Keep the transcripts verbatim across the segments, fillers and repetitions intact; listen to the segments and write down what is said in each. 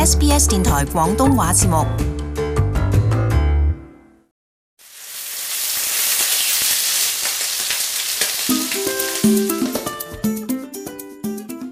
S B S 電台廣東話節目。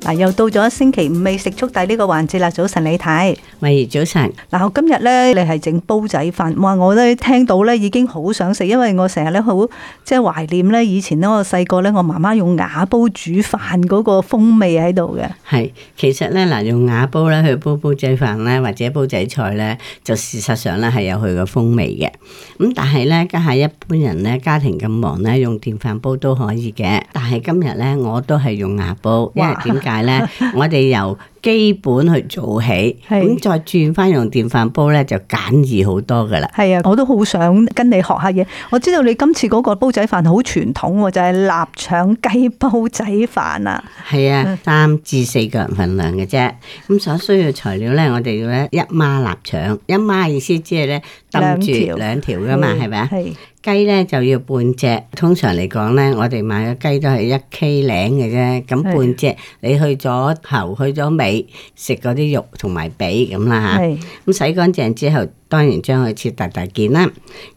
嗱，又到咗星期五美食速遞呢個環節啦。早晨李太，喂，早晨。嗱，我今日咧，你係整煲仔飯，哇！我咧聽到咧已經好想食，因為我成日咧好即係懷念咧以前咧我細個咧我媽媽用瓦煲煮飯嗰個風味喺度嘅。係，其實咧嗱，用瓦煲咧去煲煲仔飯咧，或者煲仔菜咧，就事實上咧係有佢個風味嘅。咁但係咧，家下一般人咧家庭咁忙咧，用電飯煲都可以嘅。但係今日咧，我都係用瓦煲，因為點解咧？我哋由基本去做起，咁再轉翻用電飯煲咧，就簡易好多噶啦。係啊，我都好想跟你學下嘢。我知道你今次嗰個煲仔飯好傳統，就係臘腸雞煲仔飯啊。係啊，三至四個人份量嘅啫。咁所需要材料咧，我哋要咧一孖臘腸，一孖意思即係咧揼住兩條噶嘛，係咪啊？雞咧就要半隻，通常嚟講咧，我哋買嘅雞都係一 K 零嘅啫。咁半隻，你去咗頭，去咗尾，食嗰啲肉同埋髀咁啦嚇。咁洗乾淨之後，當然將佢切大大件啦。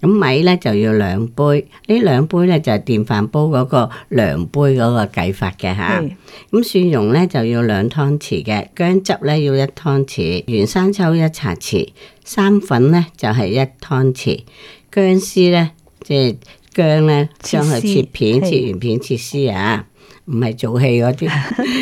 咁米咧就要兩杯，呢兩杯咧就係電飯煲嗰個量杯嗰個計法嘅嚇。咁蒜蓉咧就要兩湯匙嘅，薑汁咧要一湯匙，原生抽一茶匙，生粉咧就係一湯匙，薑絲咧。即係薑咧，將佢切片，切完片切絲啊，唔係做戲嗰啲。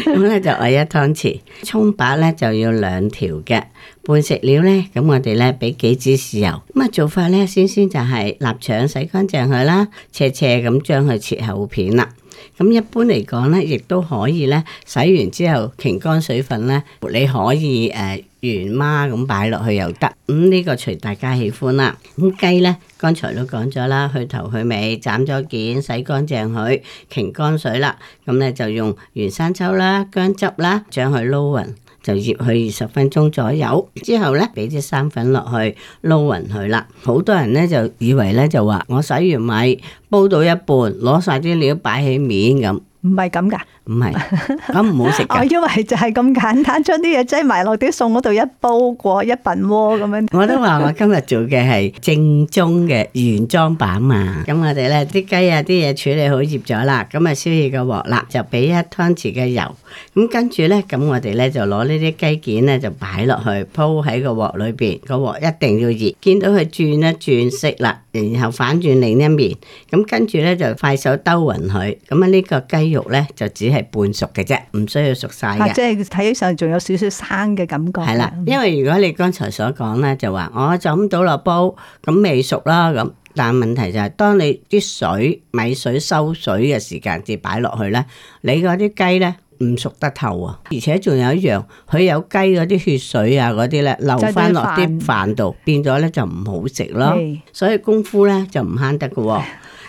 咁咧就係一湯匙。蔥白咧就要兩條嘅。半食料咧，咁我哋咧俾幾支豉油。咁啊做法咧，先先就係臘腸洗乾淨佢啦，斜斜咁將佢切厚片啦。咁一般嚟講咧，亦都可以咧洗完之後擎乾水分咧，你可以誒、呃、原孖咁擺落去又得。咁、嗯、呢、這個隨大家喜歡啦。咁雞咧，剛才都講咗啦，去頭去尾斬咗件，洗乾淨佢，擎乾水啦。咁咧就用原生抽啦、薑汁啦，將佢撈勻。就醃佢二十分鐘左右，之後咧俾啲生粉落去撈勻佢啦。好多人咧就以為咧就話我洗完米煲到一半，攞晒啲料擺起面咁，唔係咁噶，唔係咁唔好食噶。我以為就係咁簡單，將啲嘢擠埋落啲餸嗰度一煲過一燉鍋咁樣。我都話我今日做嘅係正宗嘅原裝版嘛。咁我哋咧啲雞啊啲嘢處理好醃咗啦，咁啊燒熱個鑊啦，就俾一湯匙嘅油。咁跟住咧，咁我哋咧就攞呢啲雞件咧就擺落去鋪喺個鑊裏邊，個鑊一定要熱。見到佢轉一轉色啦，然後反轉另一面，咁跟住咧就快手兜勻佢。咁啊呢個雞肉咧就只係半熟嘅啫，唔需要熟晒嘅。啊，即係睇起上仲有少少生嘅感覺。係啦，因為如果你剛才所講咧，就話我就咁倒落煲，咁未熟啦咁。但問題就係、是，當你啲水米水收水嘅時間至擺落去咧，你嗰啲雞咧唔熟得透啊！而且仲有一樣，佢有雞嗰啲血水啊嗰啲咧流翻落啲飯度，變咗咧就唔好食咯。所以功夫咧就唔慳得㗎。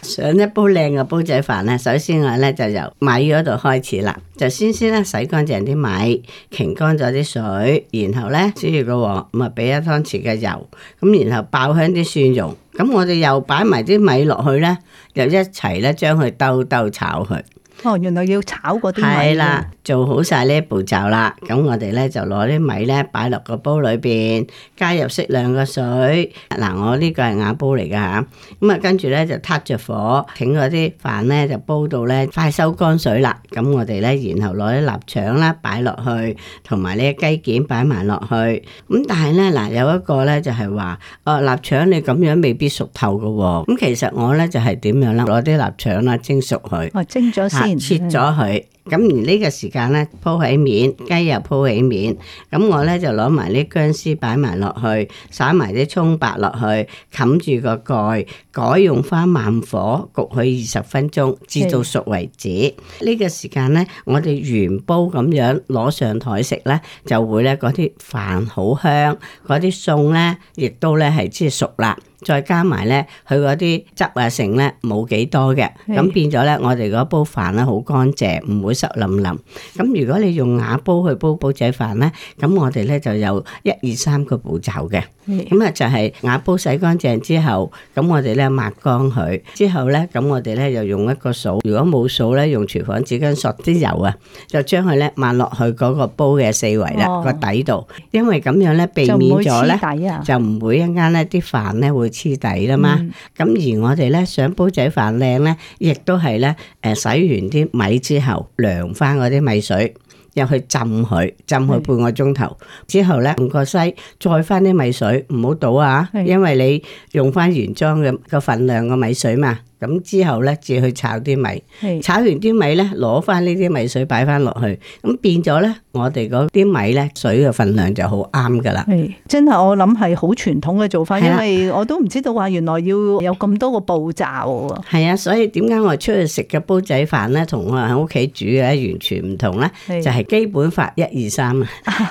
上一煲靚嘅煲仔飯咧，首先我咧就由米嗰度開始啦，就先先咧洗乾淨啲米，擎乾咗啲水，然後咧燒熱個鑊，咁啊俾一湯匙嘅油，咁然後爆香啲蒜蓉，咁我哋又擺埋啲米落去咧，又一齊咧將佢兜兜炒佢。哦，原來要炒嗰啲米。係啦，做好晒呢一步驟啦。咁我哋咧就攞啲米咧擺落個煲裏邊，加入適量嘅水。嗱，我呢個係瓦煲嚟噶吓。咁啊，跟住咧就撻着火，整嗰啲飯咧就煲到咧快收乾水啦。咁我哋咧然後攞啲臘腸啦擺落去，同埋呢啲雞件擺埋落去。咁但係咧嗱，有一個咧就係話，哦臘腸你咁樣未必熟透噶。咁其實我咧就係點樣啦？攞啲臘腸啦蒸熟佢。哦，蒸咗先。切咗佢，咁而呢個時間咧鋪起面，雞又鋪起面，咁我咧就攞埋啲薑絲擺埋落去，灑埋啲蔥白落去，冚住個蓋，改用翻慢火焗佢二十分鐘，至到熟為止。呢個時間咧，我哋原煲咁樣攞上台食咧，就會咧嗰啲飯好香，嗰啲餸咧亦都咧係即係熟啦。再加埋咧，佢嗰啲汁啊剩咧冇幾多嘅，咁變咗咧，我哋嗰煲飯咧好乾淨，唔會會濕淋淋。咁如果你用瓦煲去煲煲仔飯咧，咁我哋咧就有一二三個步驟嘅。咁啊就係瓦煲洗乾淨之後，咁我哋咧抹乾佢之後咧，咁我哋咧又用一個掃，如果冇掃咧，用廚房紙巾索啲油啊，就將佢咧抹落去嗰個煲嘅四圍啦，個、哦、底度，因為咁樣咧避免咗咧就唔會一間咧啲飯咧會黐底啦嘛。咁、嗯、而我哋咧想煲仔飯靚咧，亦都係咧誒洗完啲米之後涼翻嗰啲米水。入去浸佢，浸佢半個鐘頭之後咧，用個篩再翻啲米水，唔好倒啊，因為你用翻原裝嘅個份量嘅米水嘛。咁之後咧，至去炒啲米，炒完啲米咧，攞翻呢啲米水擺翻落去，咁變咗咧，我哋嗰啲米咧水嘅份量就好啱噶啦。係真係我諗係好傳統嘅做法，因為我都唔知道話原來要有咁多個步驟。係啊，所以點解我出去食嘅煲仔飯咧，同我喺屋企煮嘅完全唔同咧？就係基本法一二三啊。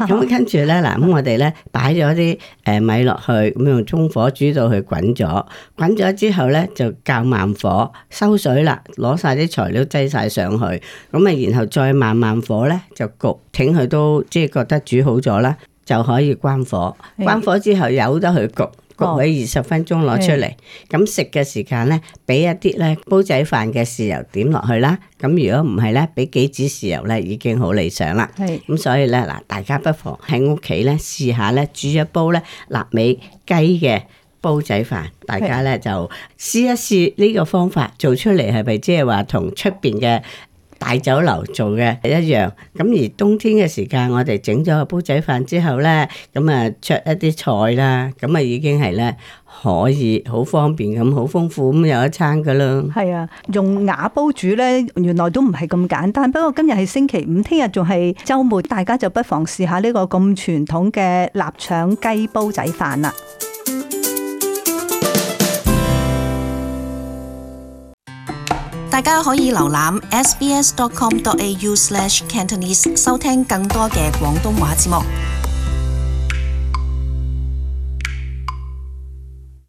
咁跟住咧嗱，咁我哋咧擺咗啲誒米落去，咁用中火煮到佢滾咗，滾咗之後咧就較慢火收水啦，攞晒啲材料擠晒上去，咁啊然後再慢慢火咧就焗，挺佢都即係覺得煮好咗啦，就可以關火。關火之後由得佢焗，焗佢二十分鐘攞出嚟。咁食嘅時間咧，俾一啲咧煲仔飯嘅豉油點落去啦。咁如果唔係咧，俾幾支豉油咧已經好理想啦。咁所以咧嗱，大家不妨喺屋企咧試下咧煮一煲咧臘味雞嘅煲仔飯，大家咧就試一試呢個方法做出嚟，係咪即係話同出邊嘅大酒樓做嘅一樣？咁而冬天嘅時間，我哋整咗個煲仔飯之後咧，咁啊灼一啲菜啦，咁啊已經係咧可以好方便咁，好豐富咁有一餐噶啦。係啊，用瓦煲煮咧，原來都唔係咁簡單。不過今日係星期五，聽日仲係週末，大家就不妨試下呢個咁傳統嘅臘腸雞煲仔飯啦。大家可以瀏覽 s b s dot com dot a u slash cantonese 收聽更多嘅廣東話節目。